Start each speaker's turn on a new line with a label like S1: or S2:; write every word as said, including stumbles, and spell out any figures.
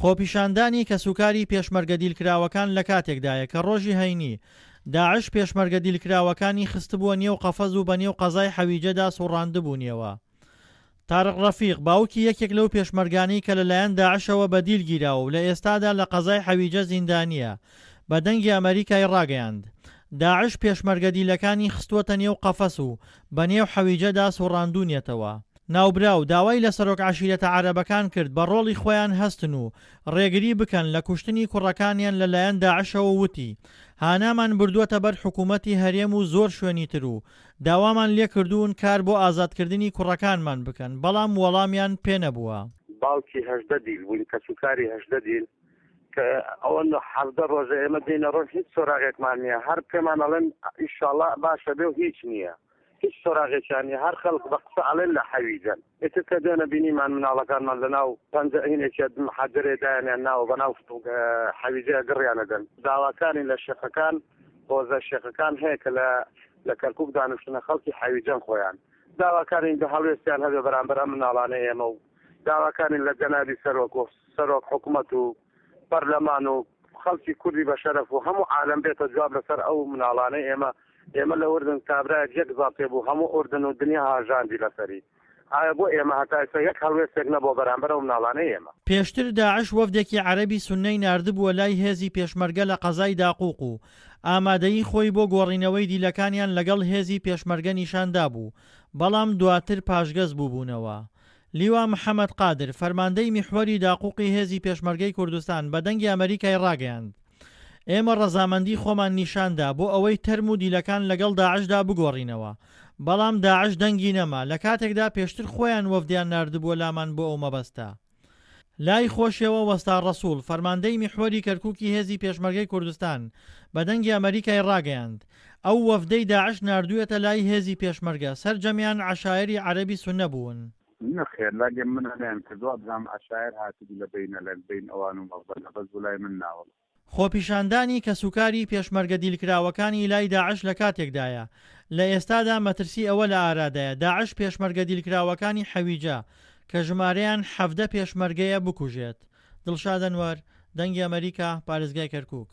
S1: خۆپیشاندانی کەسوکاری پێشمەرگە دیلکراوەکان لەکاتێکدایە کە ڕۆژی هەینی، داعش پێشمەرگە دیلکراوەکانی خستبووە نێو قەفەز و بەنێو قەزای حەویجەدا سوڕاندبوونیەوە. تارق ڕەفیق، باوکی یەکێک لەو پێشمەرگانەی کە لەلایەن داعشەوە بە دیل گیراوە و لە ئێستادا لە قەزای حەویجە زیندانییە، بە دەنگی ئەمەریکای ڕاگەیاند، داعش پێشمەرگە دیلەکانی خستووەتە نێو قەفەس و بە نێو حەویجەدا سوڕاندوونیەتەوە. ناوبراو داوای لە سەرۆک عەشیرەتە عەرەبەکان کرد بە ڕۆڵی خۆیان هەستن و ڕێگری بکەن لە کوشتنی کوڕەکانیان لە لایەن داعشەوە وتی هانامان بردووەتە بەر حکومەتی هەرێم و زۆر شوێنی تر و داوامان لێکردوون کار بۆ ئازادکردنی کوڕەکانمان بکەن بەڵام وەڵامیان پێنەبووە.
S2: باوکی هەژدە دیل بووین، کەسوکاری هەژدە دیل کە ئەوە حەڤدە ڕۆژە ئێمە دێینە ڕۆژ هیچ سۆراغێکمان نییە، هەر پێمان ئەڵێن ئیشاڵڵا باشە بێ و هیچ نییە، هیچ سۆراغێکیان نییە، هەر خەڵک بە قسە ئەڵێن لە حەویجەن. ئیتر کە دوێنە بینیمان مناڵەکانمان لەناو پەنجە هینێکیە حەجەرێ دایانیان ناوە بەناو حەویجەیە گڕیان ئەدەن. داواکارین لە شێخەکان، هۆزە شێخەکان هەیە کە لە لە کەرکوک دانیشتنە خەڵکی حەویجەن خۆیان داواکارین کە هەڵوێستیان هەبێ بەرامبەر ئەم مناڵانەی ئێمە و داواکارین لە جەنابی سەرۆک و سەرۆک حکومەت و پەرلەمان و خەڵکی کوردی بە شەرەف و هەموو عالەم بێتە جواب لەسەر ئەو مناڵانەی ئێمە ئێمە لە ئوردن کابرایەک یەک زاڵتێ بوو هەموو ئوردن و دنیا هاژاندی لەسەری ئایا بۆ ئێمە هەتا ئێستا یەک هەڵوێستێک نەبووە بەرامبەر ئەو مناڵانەی ئێمە.
S1: پێشتر داعش وەفدێکی عەرەبی سوننەی ناردبووە لای هێزی پێشمەرگە لە قەزای داقوق و ئامادەیی خۆی بۆ گۆڕینەوەی دیلەکانیان لەگەڵ هێزی پێشمەرگە نیشاندابوو، بەڵام دواتر پاشگەز بووبوونەوە. لیوا محەمەد قادر، فەرماندەی میحوەری داقوقی هێزی پێشمەرگەی کوردستان بە دەنگی ئەمەریکای ڕاگەیاند، ئێمە ڕەزامەندی خۆمان نیشاندا بۆ ئەوەی تەرم و دیلەکان لەگەڵ داعشدا بگۆڕینەوە، بەڵام داعش دەنگی نەما، لە کاتێکدا پێشتر خۆیان وەفدیان ناردبووە لامان بۆ ئەو مەبەستە. لای خۆشیەوە وەستا ڕەسوڵ، فەرماندەی میحوەری کەرکوکی هێزی پێشمەرگەی کوردستان بە دەنگی ئەمەریکای ڕاگەیاند، ئەو وەفدەی داعش ناردوویەتە لای هێزی پێشمەرگە سەرجەمیان عەشایەری عەرەبی سوننە بوون.
S3: نەخێر لاگە من نەیان کرد وابزانم عەشایەر هاتبوو لە بەینە لە بەین ئەوان و مەغبەنە بەس بۆ لای من ناوەڵا.
S1: خۆپیشاندانی کەسوکاری پێشمەرگە دیلکراوەکانی لای داعش لەکاتێکدایە، لە ئێستادا مەترسی ئەوە لە ئارادایە داعش پێشمەرگە دیلکراوەکانی حەویجە کە ژمارەیان حەڤدە پێشمەرگەیە بکوژێت. دڵشاد ئەنوەر، دەنگی ئەمەریکا، پارێزگای کەرکوک.